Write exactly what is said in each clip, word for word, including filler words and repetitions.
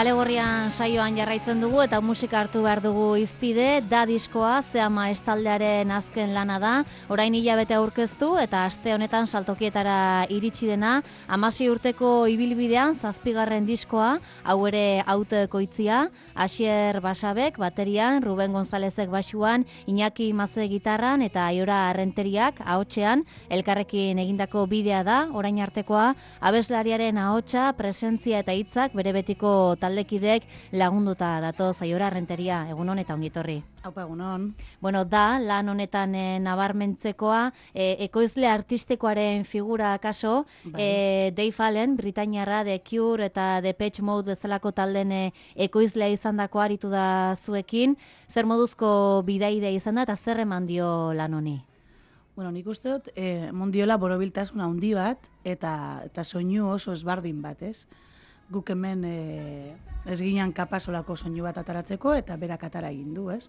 Kale Gorrian saioan jarraitzen dugu eta musika hartu behar dugu hizpide, da diskoa, Zeama estaldearen azken lana da, orain hilabete aurkeztu eta aste honetan saltokietara iritsi dena, hamasei urteko ibilbidean zazpigarren diskoa, hau ere autoekoitzia, Asier Basabek baterian, Ruben Gonzalezek basuan, Iñaki Maze gitarran eta Aiora Arrenteriak ahotsean, elkarrekin egindako bidea da, orain artekoa, abeslariaren ahotsa, presentzia eta hitzak bere betiko taldekidek lagunduta datoz. Aiora Arrenteria, egunon eta ongitorri. Haupa, egunon. Bueno, da, lan honetan e, nabarmentzekoa, e, ekoizle artistikoaren figura kaso, bai. e, Dave Allen, Britainiarra, The Cure eta Depeche Mode bezalako talden e, ekoizlea izan dako aritu da zuekin, zer moduzko bidaide izan da eta zer eman dio lan honi? Bueno, nik uste dut, e, mondiola borobiltasuna handi bat eta, eta soinu oso ezbardin bat, ez? Guk hemen e, ez ginen kapasolako soinu bat ataratzeko eta berak atara egin du, ez?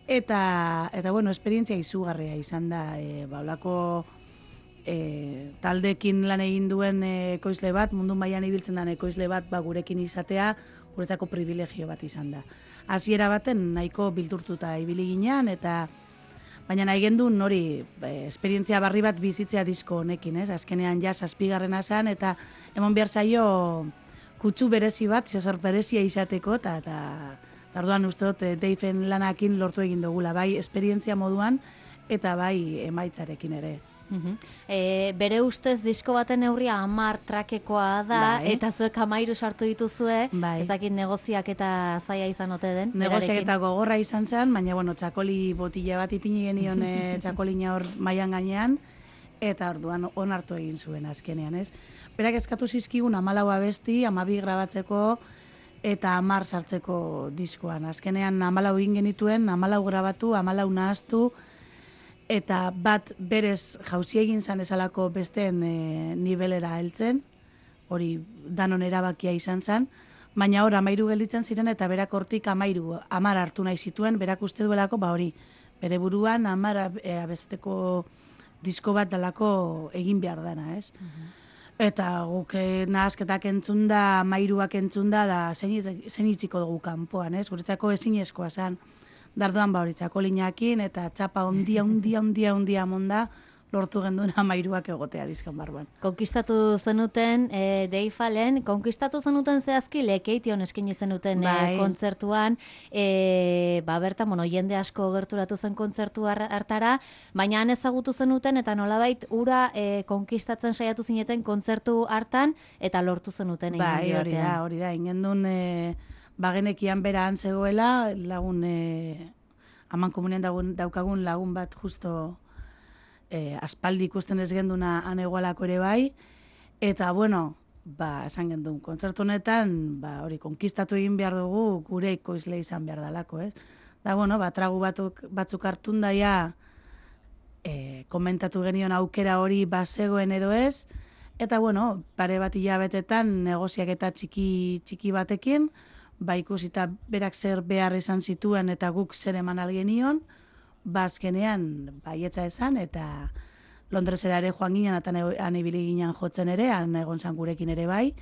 Eta, eta bueno, esperientzia izugarria izan da, e, baulako e, taldekin lan egin duen e, ekoizle bat, mundu mailan ibiltzen den ekoizle bat ba, gurekin izatea, guretzako privilegio bat izan da. Hasiera baten nahiko bildurtuta ibili ginean, eta baina nahi gendun hori e, esperientzia barri bat bizitzea disko honekin, ez? Azkenean ja zazpigarrena zen, eta emon behar zaio kutsu berezi bat, zezor berezia izateko, eta eta orduan uste dut Deifen lanakin lortu egin dugula, bai esperientzia moduan eta bai emaitzarekin ere. Uhum. E, bere ustez disko baten neurria hamar trakekoa da, bai. Eta zuek hamairu sartu dituzue, bai. Ez dakit negoziak eta zaila izan ote den. Negoziak eta gogorra izan zen, baina bueno, txakoli botila bat ipini genion txakolina hor mailan gainean, eta orduan onartu egin zuen azkenean, ez? Berak eskatu zizkigun hamalau abesti, hamabi grabatzeko eta hamar sartzeko diskoan. Azkenean hamalau egin genituen, hamalau grabatu, hamalau nahaztu, eta bat berez jauzi egin zan ezalako besteen e, nivelera heltzen, hori danon erabakia izan zen, baina hor amairu gelditzen ziren eta berak hortik amairu, amar hartu nahi zituen, berak uste duelako, ba hori, bere buruan amar e, abesteko disko bat dalako egin behar dana, ez? Uh-huh. Eta guk e, nahazketak entzun da, amairuak entzun da, da zen itziko dugu kanpoan, ez? Guretzako ezinezkoa zen. Darduan ba hori txakolinakin eta txapa ondia, ondia, ondia, ondia monda lortu genduen amairuak egotea dizkan barruan. Konkistatu zenuten, e, Dave Allen, konkistatu zenuten zehazki lekeition eskaini zenuten bai. e, kontzertuan, e, ba bertan, bueno, jende asko gerturatu zen kontzertu hartara, baina han ezagutu zenuten eta nolabait ura e, konkistatzen saiatu zineten kontzertu hartan eta lortu zenuten egin bai, hori da, hori da, ingendun e, bagenekian bera han zegoela, lagun e, aman komunean dagun, daukagun lagun bat justo e, aspaldi ikusten ez genduna han egualako ere bai, eta bueno, ba, esan gendun, kontzertu honetan, ba, hori, konkistatu egin behar dugu, gure ekoizle izan behar dalako, ez? Da, bueno, ba, tragu batuk, batzuk hartun daia, e, komentatu genion aukera hori bazegoen edo ez, eta, bueno, pare bat hilabetetan negoziak eta txiki, txiki batekin, ba ikusita berak zer behar izan zituen eta guk zer eman algenion, ba azkenean baietza esan eta Londresera ere joan ginen eta han ibili ginen jotzen ere, han egon zan gurekin ere bai,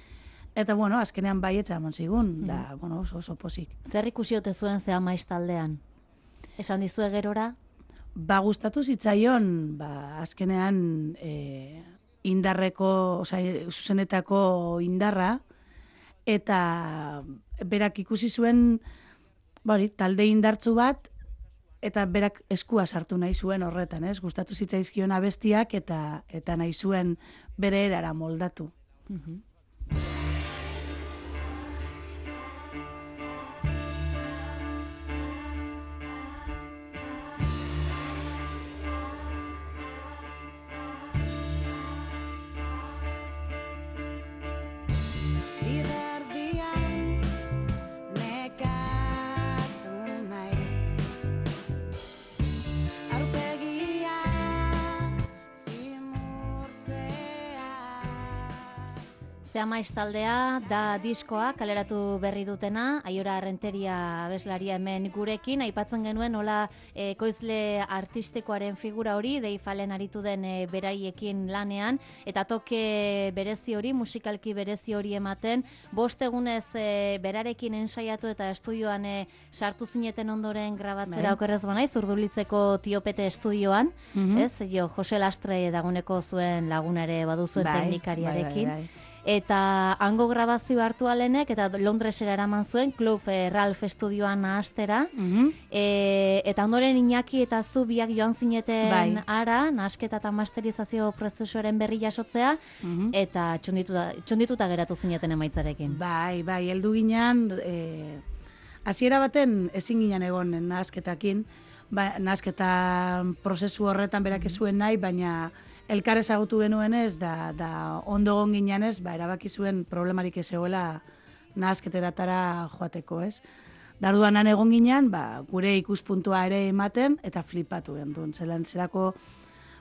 Eta, bueno, azkenean baietza emon zigun, da, bueno, oso, oso posik. Zer ikusi ote zuen Ze Amaiz taldean? Esan dizue gerora? Ba, gustatu zitzaion, ba, azkenean e, indarreko, oza, zuzenetako indarra, eta berak ikusi zuen, bari, talde indartzu bat, eta berak eskua sartu nahi zuen horretan, ez? Gustatu zitzaizkion abestiak, eta eta nahi zuen bere erara moldatu. Mhm. Ze Amaiz taldea da diskoa kaleratu berri dutena, Aiora Renteria abeslaria hemen gurekin, aipatzen genuen nola ekoizle artistikoaren figura hori, Deifalen aritu den e, beraiekin lanean, eta toke berezi hori, musikalki berezi hori ematen, bost egunez e, berarekin ensaiatu eta estudioan e, sartu zineten ondoren grabatzera bai. okerrez banaiz, Urdulitzeko Tiopete estudioan, Mhm. ez? Jo, Jose Lastre daguneko zuen lagunare baduzuen Bai, teknikariarekin. bai, bai, bai. Eta hango grabazio hartu alenek, eta Londresera eraman zuen, Club eh, Ralph estudioan nahastera, Mhm. e, eta ondoren Iñaki eta zu biak joan zineten Bai. ara, nahasketa eta masterizazio prozesuaren berri jasotzea, Mhm. eta txundituta, txundituta geratu zineten emaitzarekin. Bai, bai, heldu ginean, e, hasiera baten ezin ginen egon nahasketakin, ba, nahasketa prozesu horretan berak ez zuen nahi, baina elkar ezagutu genuenez, da, da ondo egon ginenez, ba, erabaki zuen problemarik ez zegoela nahasketeratara joateko, ez? Darduan han egon ginen, ba, gure ikuspuntua ere ematen, eta flipatu gendun. Zelan, zerako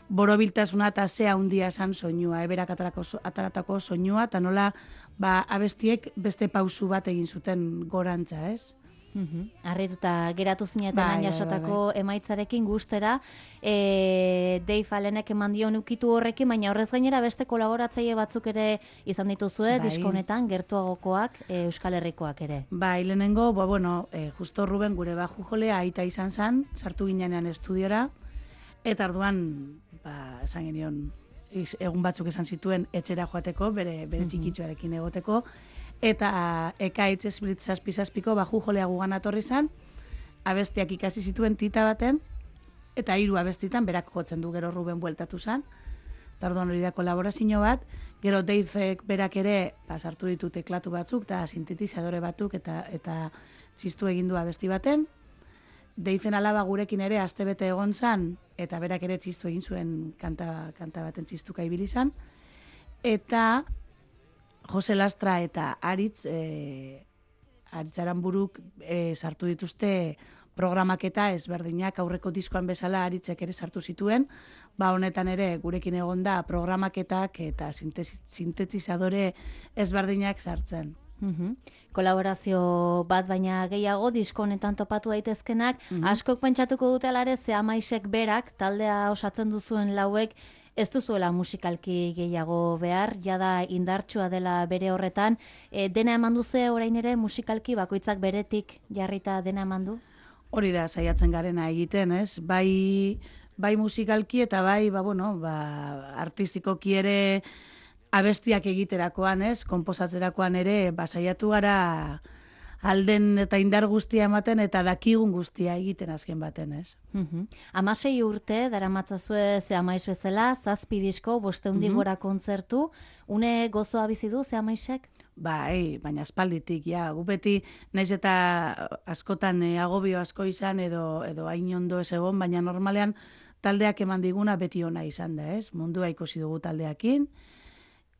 borobiltasuna eta ze handia esan soinua, eberak atarako, ataratako soinua, eta nola ba, abestiek beste pausu bat egin zuten gorantza, ez? Mhm. Harrituta geratu zineten Bai, han bai, jasotako emaitzarekin gustera, e, Dave Allenek eman dion ukitu horrekin, baina horrez gainera beste kolaboratzaile batzuk ere izan dituzue, Bai. disko honetan, gertuagokoak, e, Euskal Herrikoak ere. Bai, lehenengo, ba, bueno, e, justo Ruben gure baju jolea aita izan zan, sartu ginean estudiora, eta orduan, ba, esan genion, iz- egun batzuk esan zituen etxera joateko, bere, bere txikitxoarekin egoteko, eta ekaitz esplit zazpi-zazpiko baju jolea gugan atorri zan, abestiak ikasi zituen tita baten, eta hiru abestitan berak jotzen du, gero Ruben bueltatu zan, eta orduan hori da kolaborazio bat, gero Davek berak ere ba, sartu ditu teklatu batzuk, eta sintetizadore batzuk, eta eta txistu egin du abesti baten, Deifen alaba gurekin ere astebete egon zan, eta berak ere txistu egin zuen kanta, kanta baten txistuka ibili zan, eta Jose Lastra eta Aritz, e, Aritz Aranburuk e, sartu dituzte programaketa ezberdinak aurreko diskoan bezala Aritzek ere sartu zituen, ba honetan ere gurekin egon da programaketak eta sintesi- sintetizadore ezberdinak sartzen. Mhm. Kolaborazio bat baina gehiago disko honetan topatu daitezkenak, askok pentsatuko dute alare Ze Amaizek berak taldea osatzen duzuen lauek ez duzuela musikalki gehiago behar, jada indartsua dela bere horretan, e, dena eman duze orain ere musikalki bakoitzak beretik jarrita dena eman du? Hori da saiatzen garena egiten, ez? Bai, bai musikalki eta bai, ba, bueno, ba, artistikoki ere abestiak egiterakoan, ez? Konposatzerakoan ere, ba, saiatu gara alden eta indar guztia ematen eta dakigun guztia egiten azken baten, ez? Mhm. Hamasei urte daramatzazue Ze Amaiz bezala, zazpi disko, bostehundi gora kontzertu, une gozoa bizi du Ze Amaizek? Bai, baina aspalditik, ja, gu beti, naiz eta askotan e, agobio asko izan edo edo hain ondo ez egon, baina normalean taldeak eman diguna beti ona izan da, ez? Mundua ikusi dugu taldeakin,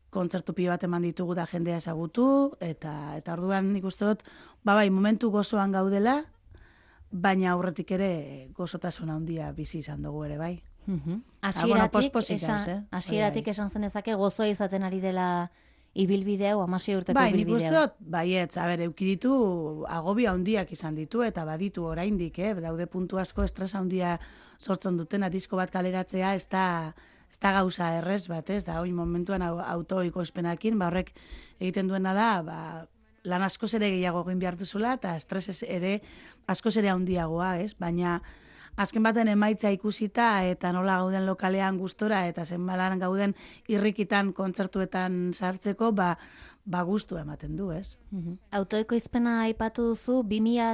kontzertu pilo bat eman ditugu da jendea ezagutu, eta eta orduan nik uste dut, ba bai, momentu gozoan gaudela, baina aurretik ere gozotasun handia bizi izan dugu ere, bai. Mhm. Ah, bueno, Hasieratik pospozik esan, gauz, eh? hasieratik Bai, esan zenezake gozoa izaten ari dela ibilbide hau, hamasei urteko Bai, nik ibilbide uste hau. dut, baietz, a ber, euki ditu agobio handiak izan ditu, eta baditu oraindik, eh? Daude puntu asko estresa handia sortzen dutena, disko bat kaleratzea, ez da, ez da gauza errez bat, ez da, oin momentuan autoikoizpenakin, ba horrek egiten duena da, ba, lan askoz ere gehiago egin behar duzula, eta estres ere askoz ere handiagoa, ez? Baina azken baten emaitza ikusita, eta nola gauden lokalean gustora, eta zenbalan gauden irrikitan kontzertuetan sartzeko, ba, ba gustua ematen du, ez? Mm-hmm. Autoekoizpena aipatu duzu, bi mila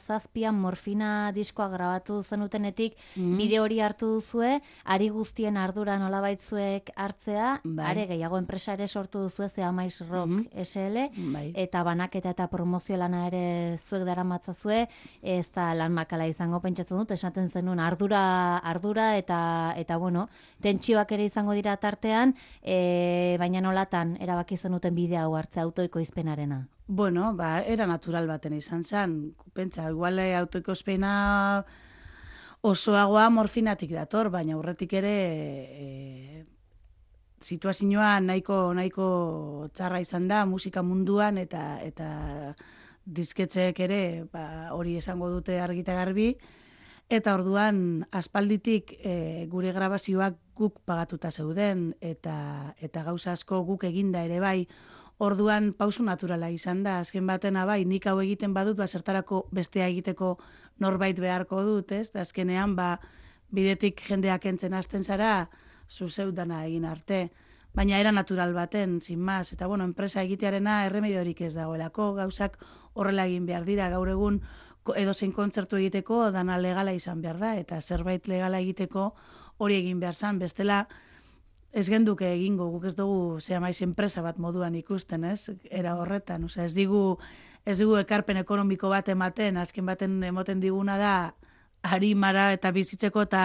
zazpian Morfina diskoa grabatu zenutenetik, mm-hmm. bideo hori hartu duzue, ari guztien ardura nolabaitzuek hartzea, bai. Are gehiago enpresa ere sortu duzue, Ze Amaiz Rock mm-hmm. S L, bai. Eta banaketa eta promozio lana ere zuek daramatzazue, ez da lan makala izango pentsatzen dut, esaten zenuen ardura, ardura eta, eta bueno, tentsioak ere izango dira tartean, e, baina nolatan erabaki zenuten bidea hartze autoekoizpenarena? Bueno, ba, era natural baten izan zen. Pentsa, igual autoekoizpena osoagoa Morfinatik dator, baina aurretik ere e, situazioa nahiko nahiko txarra izan da musika munduan eta eta disketxeek ere ba, hori esango dute argita garbi. Eta orduan aspalditik e, gure grabazioak guk pagatuta zeuden eta eta gauza asko guk eginda ere bai. Orduan pausu naturala izan da, azken batena bai, nik hau egiten badut, ba, zertarako bestea egiteko norbait beharko dut, ez? Da azkenean, ba, bidetik jendeak entzen hasten zara, zuzeu dana egin arte. Baina era natural baten, sin más. Eta bueno, enpresa egitearena erremediorik ez dagoelako, gauzak horrela egin behar dira, gaur egun edozein kontzertu egiteko dana legala izan behar da, eta zerbait legala egiteko hori egin behar zan, bestela, ez genduke egingo, guk ez dugu Ze Amaiz enpresa bat moduan ikusten, ez? Era horretan, osea, ez digu ez digu ekarpen ekonomiko bat ematen, azken baten emoten diguna da harimara eta bizitzeko eta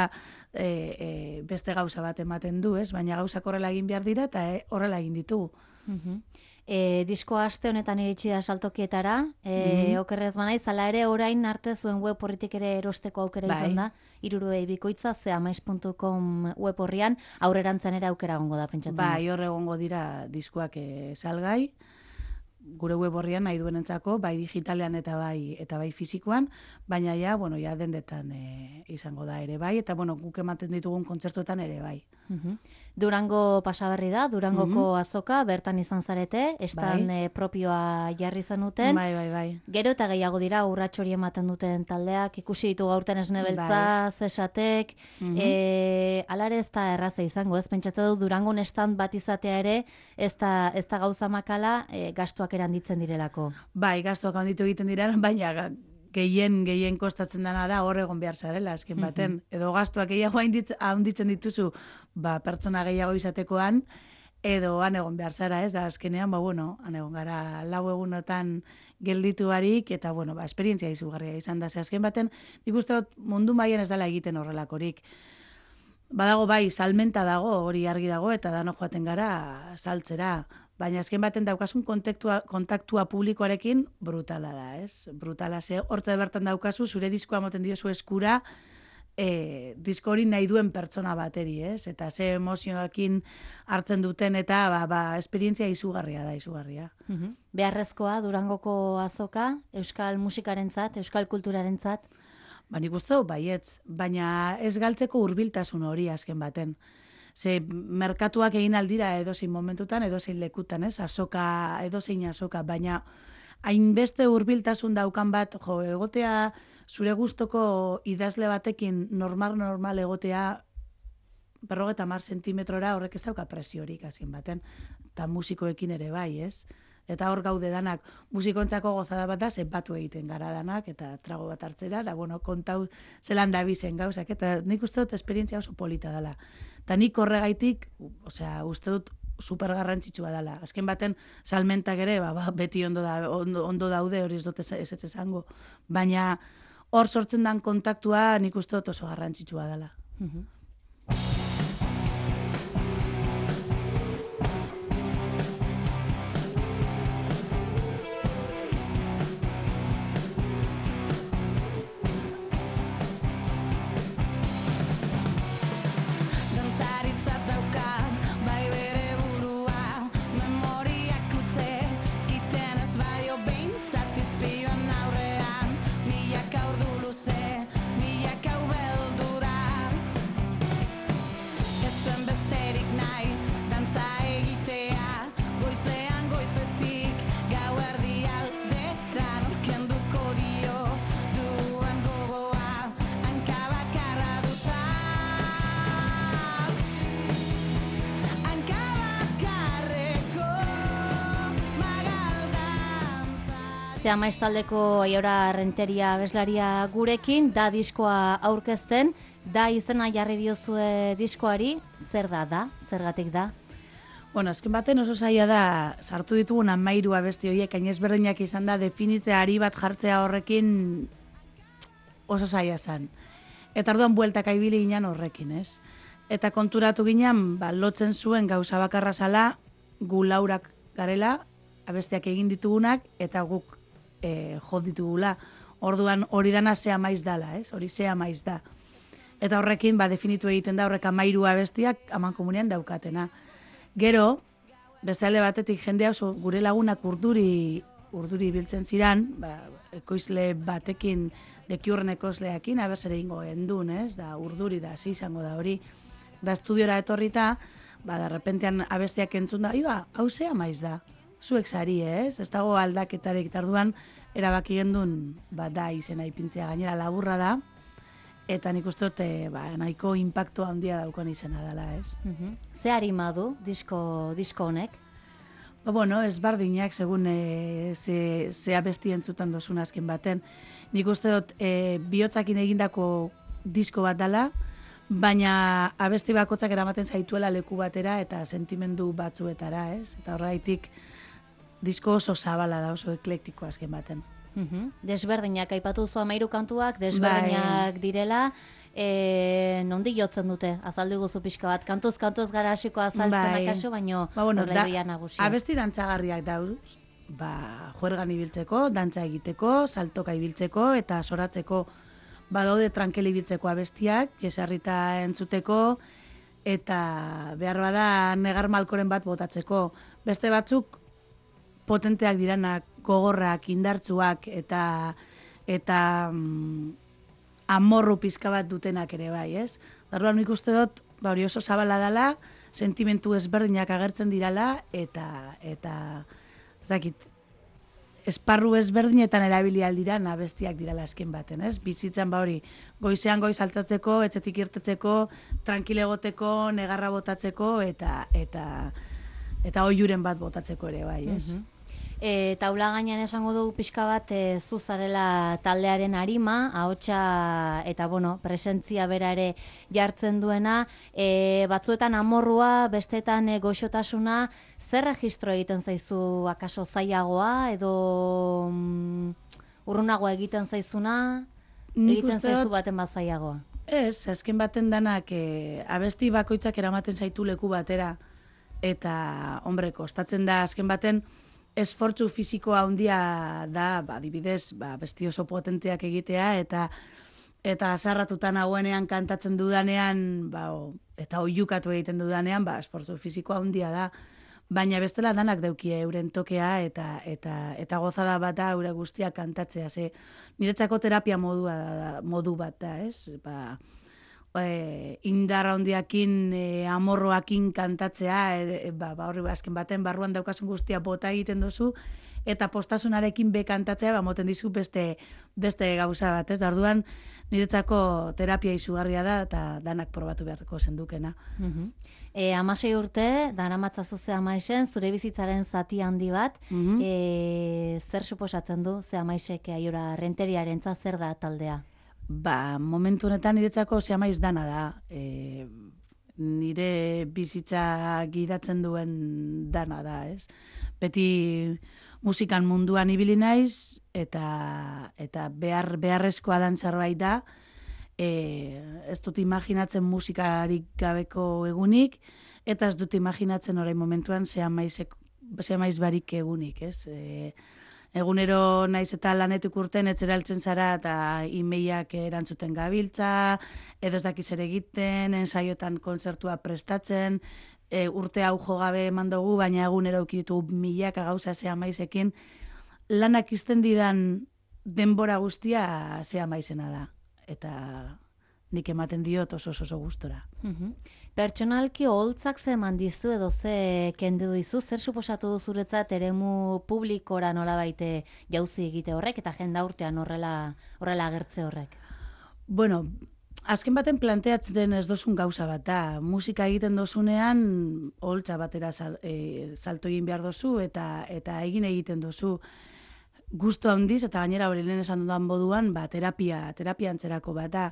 e, e, beste gauza bat ematen du, ez? Baina gauzak horrela egin behar dira eta e, horrela egin ditugu. Mm-hmm. E, diskoa aste honetan iritsi da saltokietara, e, mm-hmm. okerrez banaiz, hala ere orain arte zuen web horritik ere erosteko aukera bai. Izan da, hirurogeita bikoitza, zeamaiz puntu com web horrian, aurrerantzan ere aukera gongo da, pentsatzen. Bai, horre gongo dira diskoak e, salgai, gure web horrian nahi duenentzako, bai digitalean eta bai eta bai fisikoan, baina ja, bueno, ja dendetan e, izango da ere bai, eta bueno, guk ematen ditugun kontzertuetan ere bai. Uh-huh. Durango pasaberri da, Durangoko uh-huh. azoka, bertan izan zarete, estan bai. e, propioa jarri zenuten. Bai, bai, bai. Gero eta gehiago dira, urrats hori ematen duten taldeak, ikusi ditu gaurten esnebeltza, bai. Zesatek, uh-huh. e, alare ez da erraza izango, ez pentsatzen du Durangon estan bat izatea ere, ez da, ez da gauza makala, e, gastuak eranditzen direlako. Bai, gastuak handitu egiten dira, baina gehien gehien kostatzen dana da hor egon behar zarela, azken baten. Edo gastuak gehiago handitzen dituzu, ba, pertsona gehiago izatekoan, edo han egon behar zara, ez da, azkenean, ba, bueno, han egon gara lau egunotan gelditu barik, eta, bueno, ba, esperientzia izugarria izan da, ze azken baten, nik uste dut mundu mailan ez dela egiten horrelakorik. Badago bai, salmenta dago, hori argi dago, eta dano joaten gara saltzera. Baina azken baten daukasun kontaktua, kontaktua publikoarekin brutala da, ez? Brutala, ze hortza bertan daukazu, zure diskoa moten diozu eskura, e, disko hori nahi duen pertsona bateri, ez? Eta ze emozioekin hartzen duten, eta ba, ba, esperientzia izugarria da, izugarria. Uh-huh. Beharrezkoa, Durangoko azoka, euskal musikarentzat, euskal kulturarentzat? Ba, nik uste dut, baietz, baina ez galtzeko hurbiltasun hori azken baten. Ze merkatuak egin aldira edozein momentutan, edozein lekutan, ez? Azoka, edozein azoka, baina hainbeste hurbiltasun daukan bat, jo, egotea zure gustoko idazle batekin normal-normal egotea berrogeta mar sentimetrora horrek ez dauka presiorik azken baten, eta musikoekin ere bai, ez? Eta hor gaude danak, musikontzako gozada bat da, zenbatu egiten gara danak, eta trago bat hartzera, da, bueno, kontau zelan da bizen gauzak, eta nik uste dut esperientzia oso polita dela. Eta nik horregaitik, osea, uste dut super garrantzitsua dela. Azken baten, salmentak ere, ba, ba, beti ondo, da, ondo, ondo daude, hori ez dut ez ez esango. Baina hor sortzen dan kontaktua nik uste dut oso garrantzitsua dela. Uh-huh. Zea maiztaldeko Aiora Renteria abeslaria gurekin, da diskoa aurkezten, da izena jarri diozue diskoari, zer da da, zergatik da? Bueno, azken baten oso zaila da, sartu ditugun hamairu abesti horiek, hain ezberdinak izan da, definitzea ari bat jartzea horrekin oso zaila zen. Eta orduan bueltak aibili ginen horrekin, ez? Eta konturatu ginen, ba, lotzen zuen gauza bakarra zala, gu laurak garela, abestiak egin ditugunak, eta guk e, jod ditugula. Orduan hori dana zea maiz dala, ez? Hori zea maiz da. Eta horrekin, ba, definitu egiten da, horrek hamairu abestiak aman komunean daukatena. Gero, beste alde batetik jendea oso gure lagunak urduri, urduri biltzen ziran, ba, ekoizle batekin, dekiurren ekoizleakin, abezere ingo gendun, ez? Da, urduri da, hasi izango da hori. Da, estudiora etorrita, ba, da, repentean abestiak entzun da, iba, hau zea maiz da, zuek zari, ez? Ez dago aldaketarik tarduan, erabaki gendun, ba, da, izena ipintzea gainera laburra da, eta nik uste dut, ba, nahiko impacto handia daukan izena dela, ez? Uh-huh. Ze harima du disko, disko honek? Ba, bueno, ez bardinak, segun e, ze, ze abesti entzutan dozun azken baten. Nik uste dut, e, bihotzakin egindako disko bat dela, baina abesti bakotzak eramaten zaituela leku batera eta sentimendu batzuetara, ez? Eta horreitik, disko oso zabala da, oso eklektiko azken baten. Uhum. Desberdinak, aipatu zu hamairu kantuak, desberdinak bai. Direla, e, nondi jotzen dute, azaldu guzu pixka bat, kantuz, kantuz gara hasiko azaltzen bai. Akaso, baino ba, bueno, horreia nagusia. Abesti dantzagarriak dauz, ba, juergan ibiltzeko, dantza egiteko, saltoka ibiltzeko, eta soratzeko, badaude tranquil ibiltzeko abestiak, jesarrita entzuteko, eta behar bada negar malkoren bat botatzeko. Beste batzuk potenteak diranak, gogorrak, indartzuak eta eta mm, amorru pizka bat dutenak ere bai, ez? Orduan nik uste dut, ba hori oso zabala dela, sentimentu ezberdinak agertzen dirala eta eta ez dakit, esparru ezberdinetan erabili aldiran abestiak dirala azken baten, ez? Bizitzan ba hori, goizean goiz altzatzeko, etxetik irtetzeko, tranquile egoteko, negarra botatzeko eta eta eta oihuren bat botatzeko ere bai, ez? Uh-huh. E, taula gainean esango dugu pixka bat e, zuzarela taldearen arima, ahotsa eta bueno, presentzia bera ere jartzen duena, e, batzuetan amorrua, bestetan e, goxotasuna, zer registro egiten zaizu akaso zailagoa edo mm, urrunagoa egiten zaizuna, egiten zaizu baten bat zailagoa? Ez, azken baten danak e, abesti bakoitzak eramaten zaitu leku batera eta, hombre, kostatzen da azken baten esfortzu fisikoa handia da, ba, adibidez, ba, besti oso potenteak egitea, eta eta azarratutan hauenean kantatzen dudanean, ba, o, eta oiukatu egiten dudanean, ba, esfortzu fisikoa handia da, baina bestela danak daukie euren tokea, eta eta eta gozada bat da eure guztiak kantatzea, ze niretzako terapia modua da, modu bat da, ez? Ba, E, indarra handiakin, e, amorroakin kantatzea, e, ba, ba, horri azken baten barruan daukasun guztia bota egiten duzu, eta postasunarekin be kantatzea, ba, moten dizu beste, beste gauza bat, ez? Da, orduan, niretzako terapia izugarria da, eta danak probatu beharko zendukena. Uh-huh. E, amasei urte, dara matzazu ze amaisen, zure bizitzaren zati handi bat, uh-huh. e, zer suposatzen du, ze amaisek Aiora Renteriaren zer da taldea? Ba, momentu honetan niretzako ze amaiz dana da. E, nire bizitza gidatzen duen dana da, ez? Beti musikan munduan ibili naiz, eta, eta behar, beharrezkoa dan zerbait da. E, ez dut imaginatzen musikarik gabeko egunik, eta ez dut imaginatzen orain momentuan ze amaiz barik egunik, ez? E, Egunero naiz eta lanetik urten etxera heltzen zara eta imeiak erantzuten gabiltza, edo ez dakiz ere egiten, ensaiotan kontzertua prestatzen, e, urte hau jo gabe eman dugu, baina egunero ukiditu milaka gauza zea maizekin, lanak izten didan denbora guztia zea maizena da. Eta nik ematen diot oso oso gustora. Uh-huh. Pertsonalki oholtzak ze eman dizu edo ze kendu dizu, zer suposatu du zuretzat eremu publikora nolabait jauzi egite horrek eta jendaurtean horrela horrela agertze horrek? Bueno, azken baten planteatzen ez dozun gauza bat da. Musika egiten dozunean oholtza batera sal, e, salto egin behar dozu eta eta egin egiten dozu. gustu handiz, eta gainera hori lehen esan dudan moduan, ba, terapia, terapia antzerako bat da.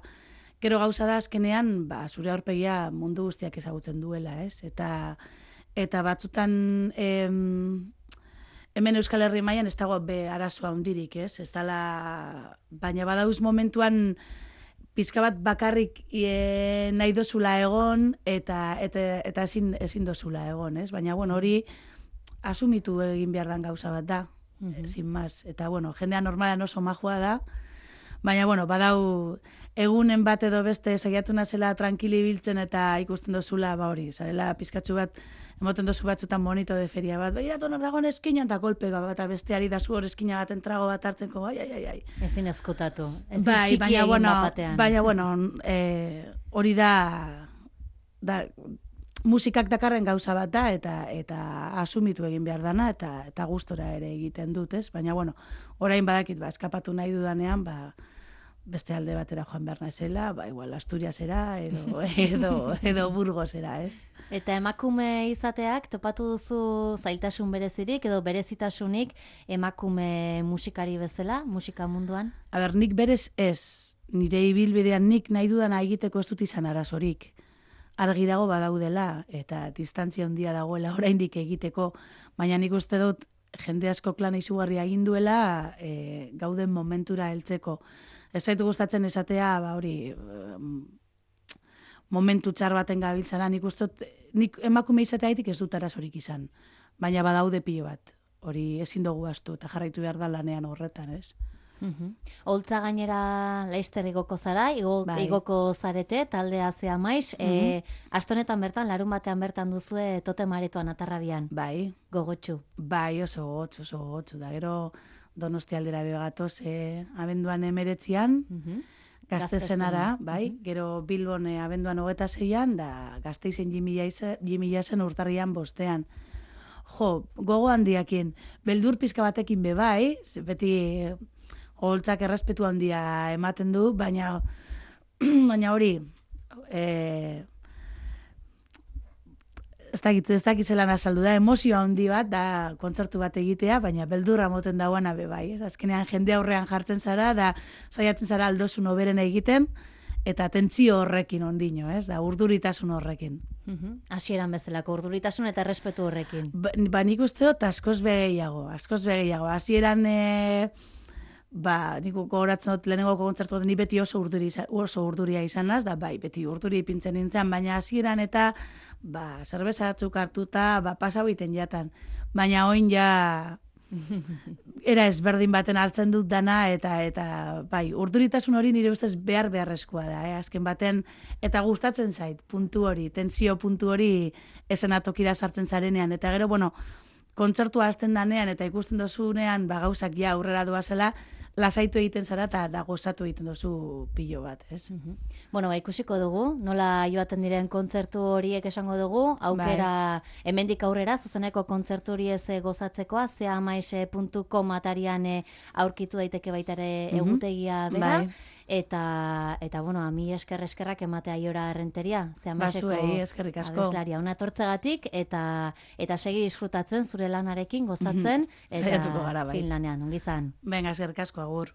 Gero gauza da azkenean, ba, zure aurpegia mundu guztiak ezagutzen duela, ez? Eta, eta batzutan, em, hemen Euskal Herri mailan ez dago be arazoa hundirik, ez? Ez dala, baina badauz momentuan pizka bat bakarrik e, nahi dozula egon, eta, eta, eta ezin, ezin dozula egon, ez? Baina, bueno, hori asumitu egin behar dan gauza bat da. Mm-hmm. Sin más. Eta, bueno, jendea normalan oso majua da, baina, bueno, badau egunen bat edo beste saiatu nazela tranquili biltzen eta ikusten dozula, ba hori, zarela pizkatxu bat, emoten dozu batzutan monito de feria bat, bai, dato nor dagoen eskinan, eta kolpe bat, eta besteari da zu hor eskina baten trago bat hartzenko, ai, ai, ai, ai. Ezin ezkutatu, ezin bai, txiki baina, egin bueno, batean. Baina, bueno, eh, hori da, da, musikak dakarren gauza bat da, eta eta asumitu egin behar dana, eta eta gustora ere egiten dut, ez? Baina, bueno, orain badakit, ba, eskapatu nahi dudanean, ba, beste alde batera joan behar naizela, ba, igual, Asturiasera, edo, edo, edo Burgosera, ez? Eta emakume izateak, topatu duzu zailtasun berezirik, edo berezitasunik emakume musikari bezala, musika munduan? A ber, nik berez ez, nire ibilbidean nik nahi dudana egiteko ez dut izan arazorik. Argi dago badaudela, eta distantzia handia dagoela oraindik egiteko, baina nik uste dut jende asko klana izugarria egin duela e, gauden momentura heltzeko. Ez zaitu gustatzen esatea, ba hori, momentu txar baten gabiltzara, nik uste dut, nik emakume izateaitik ez dut arazorik izan, baina badaude pilo bat, hori ezin dugu astu, eta jarraitu behar da lanean horretan, ez? Uhum. Oltza gainera Leister igoko zara, igo, bai. igoko zarete, taldea zea maiz, mm -hmm. e, astonetan bertan, larun batean bertan duzue totem aretoan atarrabian. Bai. Gogotxu. Bai, oso gotxu, oso gotxu, da gero Donosti aldera begatoz, e, abenduan emeretzian, mm -hmm. Gaztezenara, bai, mm -hmm. Gero Bilbon e, abenduan hogeta zeian, da Gazteizen jimilazen urtarrian bostean. Jo, gogo handiakin, beldur pizka batekin be bai, beti holtzak errespetu handia ematen du, baina baina hori e, ez dakit, ez dakit zelan azaldu da, emozioa handi bat, da kontzertu bat egitea, baina beldurra moten dauana be bai, ez? Azkenean jende aurrean jartzen zara, da saiatzen zara aldozun oberen egiten, eta tentsio horrekin ondino, ez? Da urduritasun horrekin. Hasieran bezalako urduritasun eta errespetu horrekin. Ba, ba nik uste dut askoz begeiago, askoz begeiago. Hasieran e, ba, nik gogoratzen dut lehenengo kontzertu ni beti oso urduri oso urduria izanaz, da bai, beti urduri ipintzen nintzen, baina hasieran eta ba, zerbeza batzuk hartuta, ba, pasau iten jatan. Baina oin ja era ezberdin baten hartzen dut dana, eta eta bai, urduritasun hori nire ustez behar beharrezkoa da, eh? Azken baten, eta gustatzen zait, puntu hori, tensio puntu hori esenatokira sartzen zarenean, eta gero, bueno, kontzertua hasten danean, eta ikusten dozunean, ba, gauzak ja aurrera doazela, lasaitu egiten zara eta da gozatu egiten duzu pilo bat, ez? Mm-hmm. Bueno, ba, ikusiko dugu, nola joaten diren kontzertu horiek esango dugu, aukera bai. Hemendik aurrera, zuzeneko kontzertu hori ez gozatzekoa, zeamaize puntu com atarian aurkitu daiteke baitare mm-hmm. egutegia bera, bai. Eta, eta bueno, ami esker eskerrak ematea Aiora Errenteria, zeamaizeko abeslaria ona etortzegatik, eta, eta segi disfrutatzen zure lanarekin, gozatzen, mm-hmm. eta fin lanean, ongizan. Venga, eskerrik asko, agur.